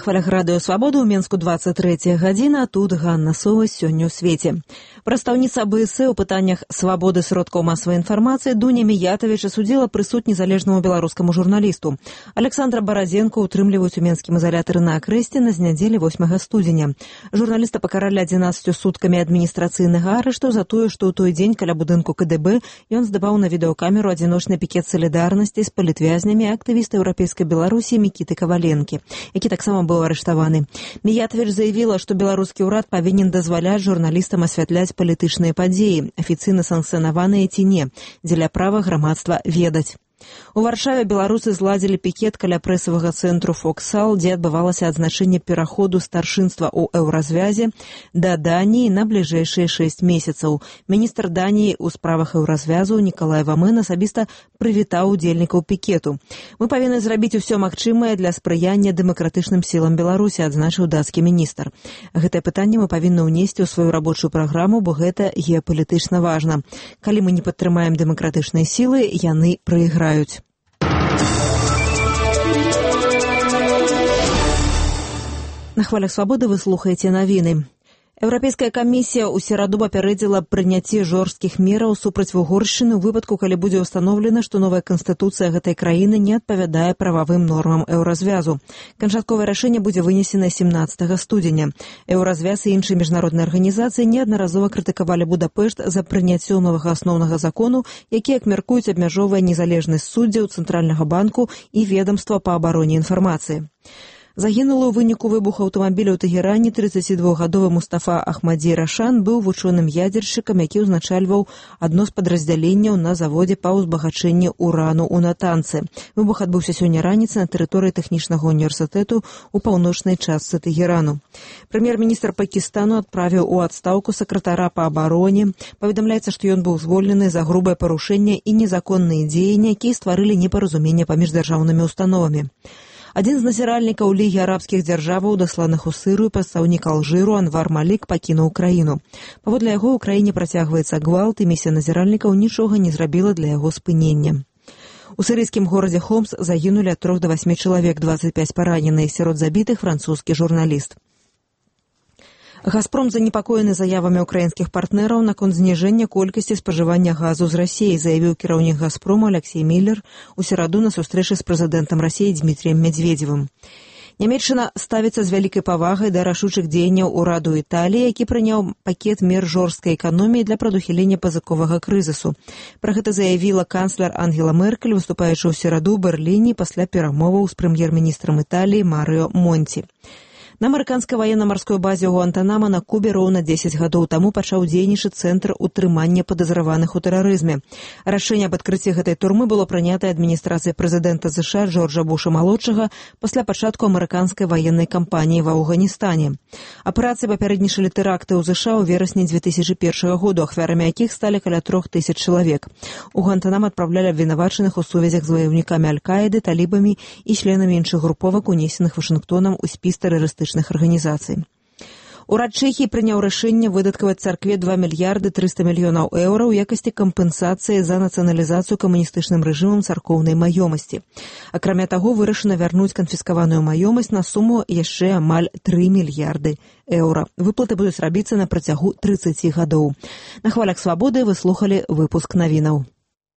хвалях радыё «Свабода» ў Менску 23 гадзіна, тут Ганна Сова сёння ў свеце. Прадстаўніца АБС у пытаннях свабоды сродкаў масавай інфармацыі Дуня Міятавіч асудзіла прысуд незалежнаму беларускаму журналісту. Александра Барадзенко утрымліваюць у менскім изолятары на Акрэсце на нядзелі 8 студзеня. Журналіста пакаралі 11 суткамі адміністрацыйнага арышту за тое, што ў той дзень каля будынку КДБ ён здаваў на відэакамеру адзіночны пікет салідарнасці з палітвязнямі актывіста еўрапейскай Беларусі Мікіты Каваленкі, які таксама быў арыштаваны. Міятавіч заявіла, што беларускі ўрад павінен дазваляць журналістам асвятляць палітычныя падзеі, афіцыйна санкцыянаваныя ці не, дзеля права грамадства ведаць. У Варшаве беларусы зладзілі пікет каля прэсавага цэнтру «Фоксал», дзе адбывалася адзначэнне пераходу старшынства ў еўразвязе да Даніі на бліжэйшыя 6 месяцаў. Міністр Даніі ў справах еўразвязу Нікалай Вамен асабіста прывітаў удзельнікаў пікету. «Мы павінны зрабіць усё магчымае для спрыяння дэмакратычным сілам Беларусі», адзначыў дацкі міністр. Гэтае пытанне мы павінны ўнесці ў сваю рабочую праграму, бо гэта геапалітычна важна. Калі мы не падтрымаем дэмакратычныя сілы, яны прайграюць. На хвалях «Свабоды» вы слухаеце навіны. Еўрапейская камісія ў сераду папярэдзіла прыняцце жорсткіх мераў супраць Угоршчыны ў выпадку, калі будзе ўстаноўлена, што новая канстытуцыя гэтай краіны не адпавядае прававым нормам еўразвязу. Канчатковае рашэнне будзе вынесена 17 студзеня. Еўразвяз і іншыя міжнародныя арганізацыі неаднаразова крытыкавалі Будапешт за прыняццё новага асноўнага закону, які, як мяркуюць, абмяжоўвае незалежнасць суддзяў, Цэнтральнага банку і ведамства па абароне інфармацыі. Загінулы ў выніку выбуху аўтамабіля ў Тэгеране 32-гадовы Мустафа Ахмадзі Рашан быў вучоным-ядзершчыкам, які ўзначальваў адно з падраздзяленняў на заводзе па ўзбагачэнні урану ў Натанцы. Выбух адбыўся сёння раніцай на тэрыторыі тэхнічнага універсітэту ў паўночнай частцы Тэгерану. Прэм'ер-міністр Пакістану адправіў у адстаўку сакратара па абароне. Паведамляецца, што ён быў звольнены за грубае парушэнне і незаконныя дзеянні, якія стварылі непаразуменне паміж дзяржаўнымі установамі. Адзін з назіральнікаў Лігі арабскіх дзяржаваў, дасланых у Сырыю, прадстаўнік Алжыру Анвар Малік пакінуў краіну. Паводле яго, ў краіне працягваецца гвалт, і місія назіральнікаў нічога не зрабіла для яго спынення. У сірыйскім горадзе Хомс загінулі ад 3 до 8 чалавек, 25 паранены, сярод забітых французскі журналіст. «Газпром» занепакоены заявамі украінскіх партнераў наконт зніжэння колькасці спажывання газу з Расіі, заявіў кіраўнік «Газпрому» Алексей Міллер у сераду на сустрэчы з прэзідэнтам Расіі Дмітріем Медведзевым. Нямецчына ставіцца з вялікай павагай да рашучых дзеянняў ураду Італіі, які прыняў пакет мер жорсткай эканоміі для прадухілення пазыковага крызісу. Пра гэта заявіла канцлер Ангела Меркель, выступаючы ў сераду ў Берліне пасля перамоваў з прэм'ер-міністрам Італіі Марыо Монці. На амерыканскай ваенна-марской базе ў Гуантанама на Кубе роўна 10 гадоў таму пачаў дзейнічаць цэнтр утрымання падазраваных у тэрарызме. Рашэнне аб адкрыцці гэтай турмы было прынятае адміністрацыяй прэзідэнта США Джорджа Буша-малодшага пасля пачатку амерыканскай ваеннай кампаніі ва Афганістане. Аперацыі папярэднічалі тэракты ў США ў верасні 2001 году, ахвярамі якіх сталі каля 3000 чалавек. У Гуантанам адпраўлялі абвінавачаных у сувязях з ваяўнікамі Аль-Каіды, талібамі і членамі іншых груповак, унесеных Вашынгтонам у спіс тэрарыстычных арганізацый. Урад Чэхіі прыняў рашэнне выдаткаваць царкве 2 мільярды 300 мільёнаў еўра ў якасці кампенсацыі за нацыяналізацыю камуністычным рэжымам царкоўнай маёмасці. Акрамя таго, вырашана вярнуць канфіскаваную маёмасць на суму яшчэ амаль 3 мільярды еўра. Выплаты будуць рабіцца на працягу 30 гадоў. На хвалях «Свабоды» вы слухалі выпуск навінаў.